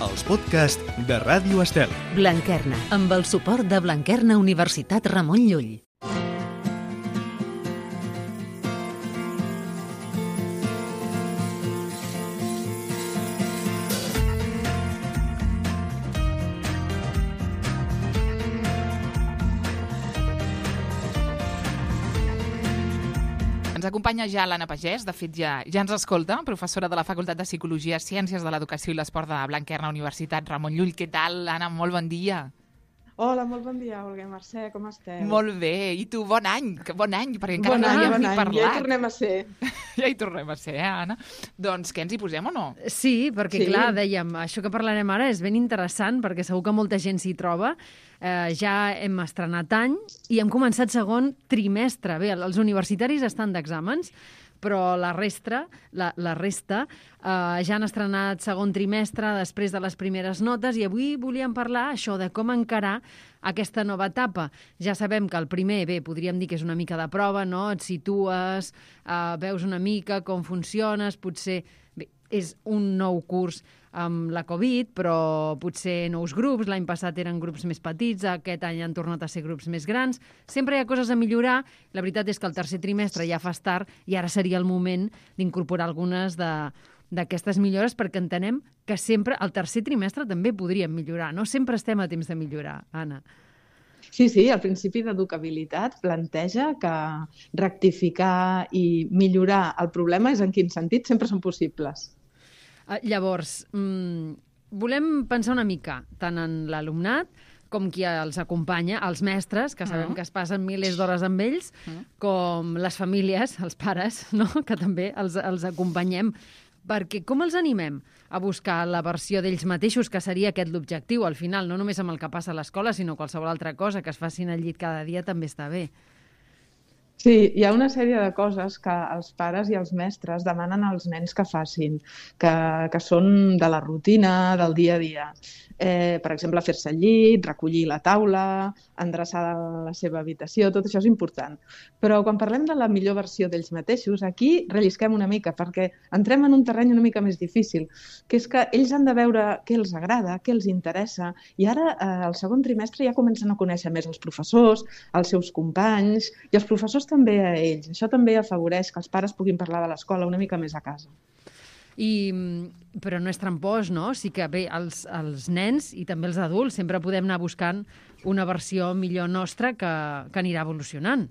els podcasts de Ràdio Estel. Blanquerna, amb el suport de Blanquerna Universitat Ramon Llull. Ens acompanya ja l'Anna Pagès, de fet ja ens escolta, professora de la Facultat de Psicologia, Ciències de l'Educació i l'Esport de Blanquerna Universitat Ramon Llull. Què tal, Anna? Molt bon dia. Hola, molt bon dia, Olga i Mercè, com esteu? Molt bé, i tu, bon any, perquè encara no havíem ni parlat. Ja hi tornem a ser. Ja hi tornem a ser, Anna? Doncs què, ens hi posem o no? Sí, perquè clar, dèiem, això que parlarem ara és ben interessant, perquè segur que molta gent s'hi troba. Ja hem estrenat any i hem començat segon trimestre. Bé, els universitaris estan d'exàmens, però la resta ja han estrenat segon trimestre després de les primeres notes i avui volíem parlar això de com encarar aquesta nova etapa. Ja sabem que el primer, podríem dir que és una mica de prova, no? Et situes, veus una mica com funciones, potser és un nou curs amb la Covid, però potser nous grups. L'any passat eren grups més petits, aquest any han tornat a ser grups més grans. Sempre hi ha coses a millorar. La veritat és que el tercer trimestre ja fa tard i ara seria el moment d'incorporar algunes d'aquestes millores perquè entenem que sempre el tercer trimestre també podríem millorar. No sempre estem a temps de millorar, Anna. Sí, el principi d'educabilitat planteja que rectificar i millorar el problema és en quin sentit sempre són possibles. Llavors, volem pensar una mica tant en l'alumnat com qui els acompanya, els mestres, que sabem que es passen milers d'hores amb ells, com les famílies, els pares, no? Que també els acompanyem. Perquè com els animem a buscar la versió d'ells mateixos, que seria aquest l'objectiu, al final, no només amb el que passa a l'escola, sinó qualsevol altra cosa, que es facin al llit cada dia també està bé. Sí, hi ha una sèrie de coses que els pares i els mestres demanen als nens que facin, que són de la rutina, del dia a dia. Per exemple, fer-se al llit, recollir la taula, endreçar la seva habitació, tot això és important. Però quan parlem de la millor versió d'ells mateixos, aquí rellisquem una mica, perquè entrem en un terreny una mica més difícil, que és que ells han de veure què els agrada, què els interessa, i ara, al segon trimestre, ja comencen a conèixer més els professors, els seus companys, i els professors també a ells. Això també afavoreix que els pares puguin parlar de l'escola una mica més a casa. Però no és trampós, no? Sí que bé, els nens i també els adults sempre podem anar buscant una versió millor nostra que anirà evolucionant.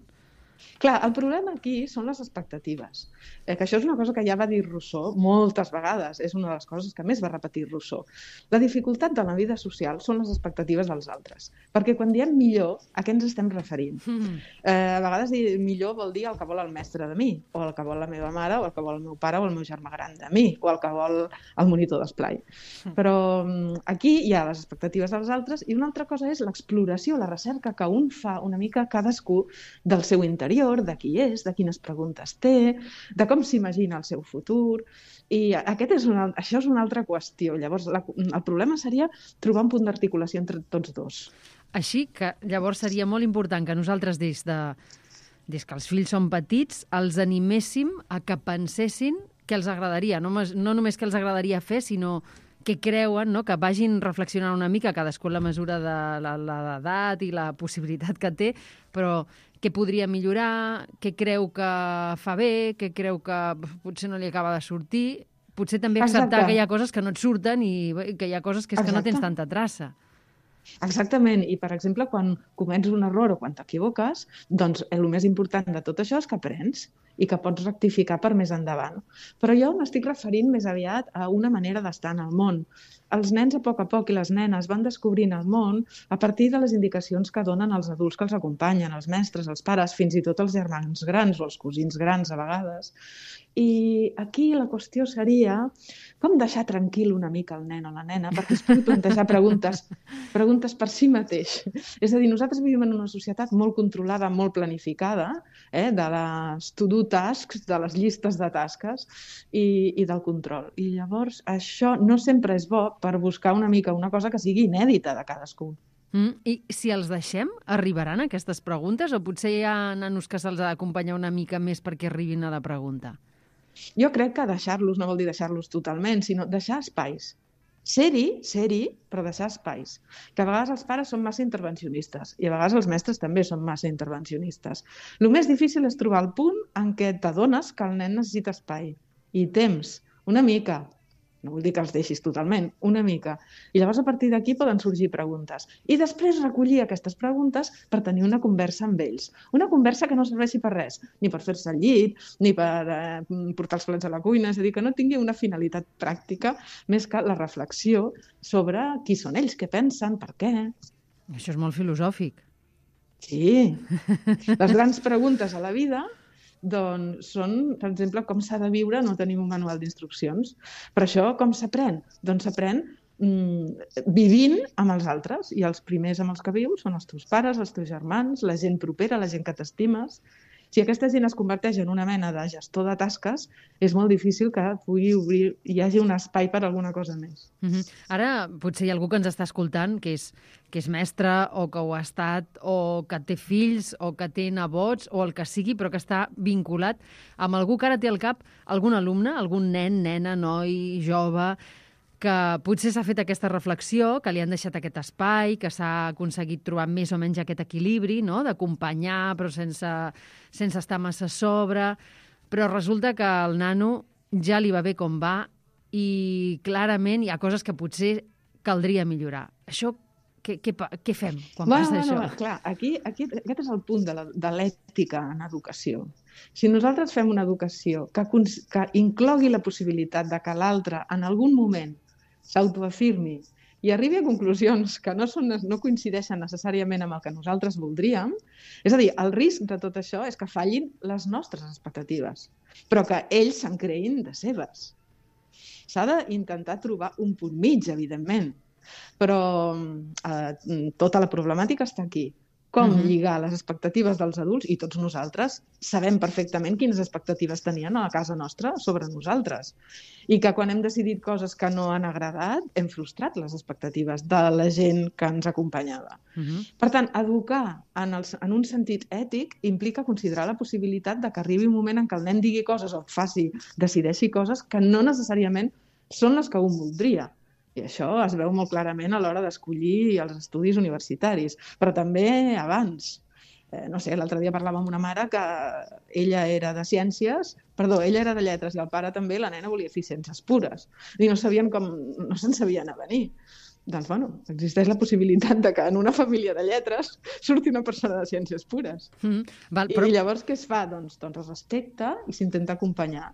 Clar, el problema aquí són les expectatives, que això és una cosa que ja va dir Rousseau moltes vegades, és una de les coses que més va repetir Rousseau. La dificultat de la vida social són les expectatives dels altres, perquè quan diem millor, a què ens estem referint? A vegades dir millor vol dir el que vol el mestre de mi, o el que vol la meva mare, o el que vol el meu pare o el meu germà gran de mi, o el que vol el monitor d'esplai. Però aquí hi ha les expectatives dels altres i una altra cosa és l'exploració, la recerca que un fa una mica cadascú del seu interior, de qui és, de quines preguntes té, de com s'imagina el seu futur. I això és una altra qüestió. Llavors, el problema seria trobar un punt d'articulació entre tots dos. Així que llavors seria molt important que nosaltres, des que els fills són petits, els animéssim a que pensessin què els agradaria. No només què els agradaria fer, sinó que creuen, no? Que vagin reflexionant una mica, cadascú a la mesura de l'edat i la possibilitat que té, però què podria millorar, què creu que fa bé, què creu que potser no li acaba de sortir. Potser també acceptar que hi ha coses que no et surten i que hi ha coses que és que no tens tanta traça. Exactament, i per exemple, quan comets un error o quan t'equivoques, doncs el més important de tot això és que aprens i que pots rectificar per més endavant. Però jo m'estic referint més aviat a una manera d'estar en el món. Els nens a poc i les nenes van descobrint el món a partir de les indicacions que donen els adults que els acompanyen, els mestres, els pares, fins i tot els germans grans o els cosins grans a vegades. I aquí la qüestió seria com deixar tranquil una mica el nen o la nena perquè es pugui plantejar preguntes per si mateix. És a dir, nosaltres vivim en una societat molt controlada, molt planificada, de les to-do tasks, de les llistes de tasques i del control. I llavors això no sempre és bo per buscar una mica una cosa que sigui inèdita de cadascú. I si els deixem, arribaran aquestes preguntes o potser hi ha nanos que se'ls ha d'acompanyar una mica més perquè arribin a la pregunta? Jo crec que deixar-los no vol dir deixar-los totalment, sinó deixar espais. Ser-hi, però deixar espais. Que a vegades els pares són massa intervencionistes i a vegades els mestres també són massa intervencionistes. El més difícil és trobar el punt en què t'adones que el nen necessita espai i temps, una mica. No vull dir que els deixis totalment, una mica. I llavors a partir d'aquí poden sorgir preguntes. I després recollir aquestes preguntes per tenir una conversa amb ells. Una conversa que no serveixi per res, ni per fer-se al llit, ni per portar els plats a la cuina, és a dir, que no tingui una finalitat pràctica més que la reflexió sobre qui són ells, què pensen, per què. Això és molt filosòfic. Sí. Les grans preguntes a la vida doncs són, per exemple, com s'ha de viure, no tenim un manual d'instruccions. Per això, com s'aprèn? Doncs s'aprèn vivint amb els altres, i els primers amb els que vius són els teus pares, els teus germans, la gent propera, la gent que t'estimes. Si aquesta gent es converteix en una mena de gestor de tasques, és molt difícil que hi hagi un espai per alguna cosa més. Ara, potser hi ha algú que ens està escoltant que és mestre o que ho ha estat o que té fills o que té nebots o el que sigui, però que està vinculat amb algú que ara té al cap algun alumne, algun nen, nena, noi, jove, que potser s'ha fet aquesta reflexió, que li han deixat aquest espai, que s'ha aconseguit trobar més o menys aquest equilibri, no?, d'acompanyar però sense estar massa a sobre, però resulta que el nano ja li va bé com va i clarament hi ha coses que potser caldria millorar. Això, què fem quan passa això? Clar, aquest és el punt de l'ètica en educació. Si nosaltres fem una educació que inclogui la possibilitat de que l'altre en algun moment s'autoafirmi i arribi a conclusions que no coincideixen necessàriament amb el que nosaltres voldríem, és a dir, el risc de tot això és que fallin les nostres expectatives, però que ells se'n creïn de seves. S'ha d'intentar trobar un punt mig, evidentment, però tota la problemàtica està aquí. Com lligar les expectatives dels adults, i tots nosaltres sabem perfectament quines expectatives tenien a la casa nostra sobre nosaltres. I que quan hem decidit coses que no han agradat, hem frustrat les expectatives de la gent que ens acompanyava. Per tant, educar en un sentit ètic implica considerar la possibilitat de que arribi un moment en què el nen digui coses o decideixi coses que no necessàriament són les que un voldria. I això es veu molt clarament a l'hora d'escollir els estudis universitaris, però també abans. No sé, l'altre dia parlàvem amb una mare que ella era de lletres i el pare també, la nena volia fer ciències pures. I no se'n sabien a venir. Doncs, existeix la possibilitat de que en una família de lletres surti una persona de ciències pures. I llavors què es fa? Doncs es respecta i s'intenta acompanyar.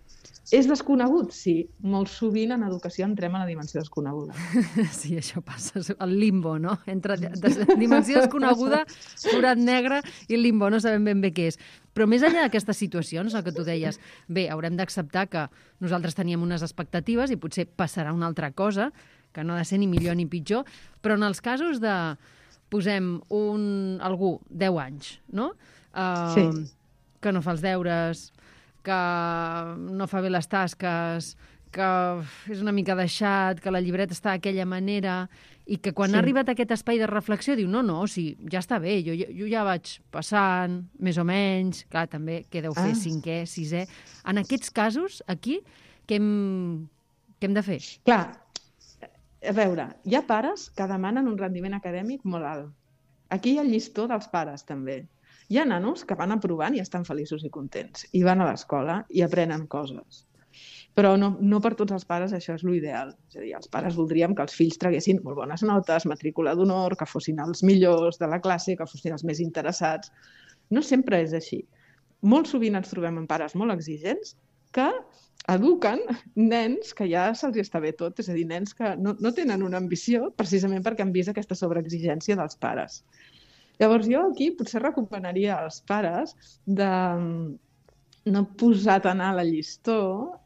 És desconegut? Sí. Molt sovint en educació entrem a la dimensió desconeguda. Sí, això passa. El limbo, no? Entre dimensió desconeguda, forat negre i el limbo. No sabem ben bé què és. Però més enllà d'aquestes situacions, el que tu deies, bé, haurem d'acceptar que nosaltres teníem unes expectatives i potser passarà una altra cosa, que no ha de ser ni millor ni pitjor, però en els casos de, posem algú, 10 anys, no? Sí. Que no fa els deures, que no fa bé les tasques, que és una mica deixat, que la llibreta està d'aquella manera, i que quan ha arribat a aquest espai de reflexió diu, no, sí, ja està bé, jo ja vaig passant, més o menys, clar, també què deu fer 5è, 6è. En aquests casos, aquí, què hem de fer? Clar, a veure, hi ha pares que demanen un rendiment acadèmic molt alt. Aquí hi ha el llistó dels pares, també. Hi ha nanos que van aprovant i estan feliços i contents, i van a l'escola i aprenen coses. Però no per tots els pares això és l'ideal. És a dir, els pares voldríem que els fills traguessin molt bones notes, matrícula d'honor, que fossin els millors de la classe, que fossin els més interessats. No sempre és així. Molt sovint ens trobem amb pares molt exigents que eduquen nens que ja se'ls està bé tot, és a dir, nens que no tenen una ambició precisament perquè han vist aquesta sobreexigència dels pares. Llavors jo aquí potser recomanaria als pares de no posar tan alt el llistó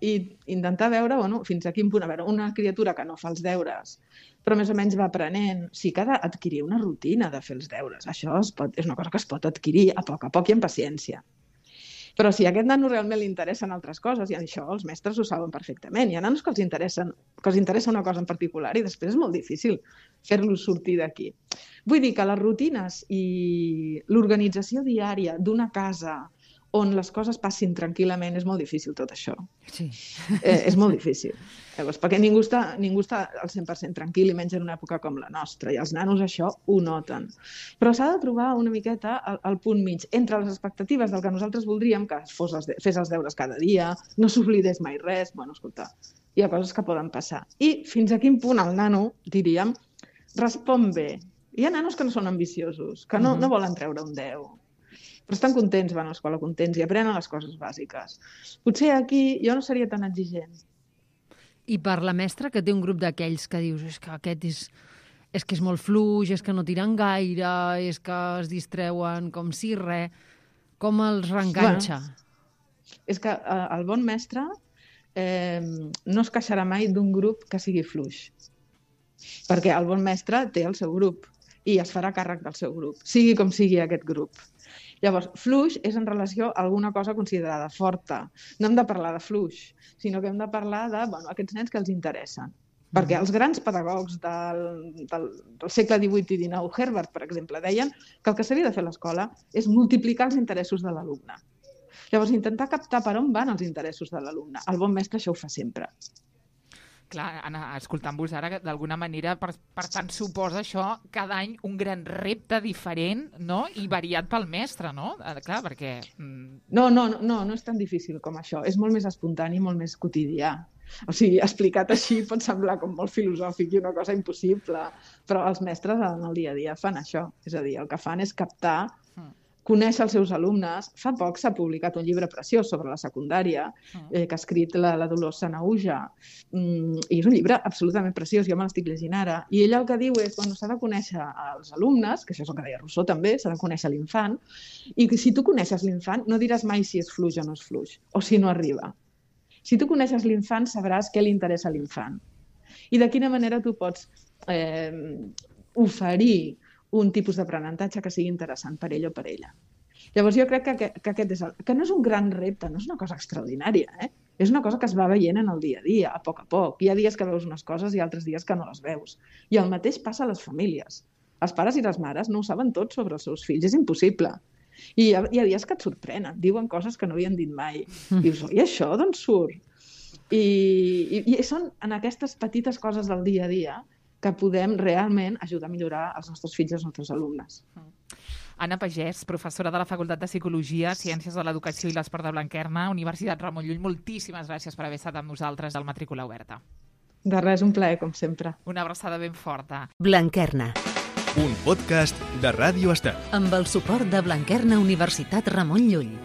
i intentar veure fins a quin punt. A veure, una criatura que no fa els deures, però més o menys va aprenent, sí que ha d'adquirir una rutina de fer els deures. Això és una cosa que es pot adquirir a poc i amb paciència. Però si a aquest nano realment li interessen altres coses, i això els mestres ho saben perfectament, hi ha nanos que els interessa una cosa en particular i després és molt difícil fer-los sortir d'aquí. Vull dir que les rutines i l'organització diària d'una casa on les coses passin tranquil·lament, és molt difícil tot això. Sí. És molt difícil. Llavors, perquè ningú està al 100% tranquil, i menys en una època com la nostra, i els nanos això ho noten. Però s'ha de trobar una miqueta el punt mig entre les expectatives del que nosaltres voldríem, que fes els deures cada dia, no s'oblidés mai res, bueno, escolta, hi ha coses que poden passar. I fins a quin punt el nano, diríem, respon bé. Hi ha nanos que no són ambiciosos, que no volen treure un 10, però estan contents, van a l'escola contents i aprenen les coses bàsiques. Potser aquí jo no seria tan exigent. I per la mestra, que té un grup d'aquells que dius és que aquest és que és molt fluix, és que no tiren gaire, és que es distreuen com si res, com els reenganxa? Bueno, és que el bon mestre no es queixarà mai d'un grup que sigui fluix, perquè el bon mestre té el seu grup i es farà càrrec del seu grup, sigui com sigui aquest grup. Llavors, fluix és en relació a alguna cosa considerada forta. No hem de parlar de fluix, sinó que hem de parlar de aquests nens que els interessen. Perquè els grans pedagogs del segle XVIII i XIX, Herbert, per exemple, deien que el que s'havia de fer a l'escola és multiplicar els interessos de l'alumne. Llavors, intentar captar per on van els interessos de l'alumne. El bon mestre això ho fa sempre. Clar, Anna, escoltant-vos ara, d'alguna manera, per tant, suposa això cada any un gran repte diferent, no?, i variat pel mestre, no? Clar, perquè... No és tan difícil com això. És molt més espontani, molt més quotidià. O sigui, explicat així pot semblar com molt filosòfic i una cosa impossible, però els mestres en el dia a dia fan això. És a dir, el que fan és captar, conèixer els seus alumnes. Fa poc s'ha publicat un llibre preciós sobre la secundària que ha escrit la Dolors Sanahuja, i és un llibre absolutament preciós, jo me l'estic llegint ara, i ella el que diu és que s'ha de conèixer els alumnes, que això és el que deia Rousseau també, s'ha de conèixer l'infant, i si tu coneixes l'infant no diràs mai si és fluix o no és fluix, o si no arriba. Si tu coneixes l'infant sabràs què li interessa a l'infant i de quina manera tu pots oferir un tipus d'aprenentatge que sigui interessant per ell o per ella. Llavors jo crec que aquest és que no és un gran repte, no és una cosa extraordinària, és una cosa que es va veient en el dia a dia, a poc. Hi ha dies que veus unes coses i altres dies que no les veus. I el mateix passa a les famílies. Els pares i les mares no ho saben tot sobre els seus fills, és impossible. I hi ha dies que et sorprenen, diuen coses que no havien dit mai. Dius, i això d'on surt? I són en aquestes petites coses del dia a dia que podem realment ajudar a millorar els nostres fills i els nostres alumnes. Anna Pagès, professora de la Facultat de Psicologia, Ciències de l'Educació i l'Esport de Blanquerna, Universitat Ramon Llull, moltíssimes gràcies per haver estat amb nosaltres al Matrícula Oberta. De res, un plaer, com sempre. Una abraçada ben forta. Blanquerna. Un podcast de Ràdio Estel. Amb el suport de Blanquerna Universitat Ramon Llull.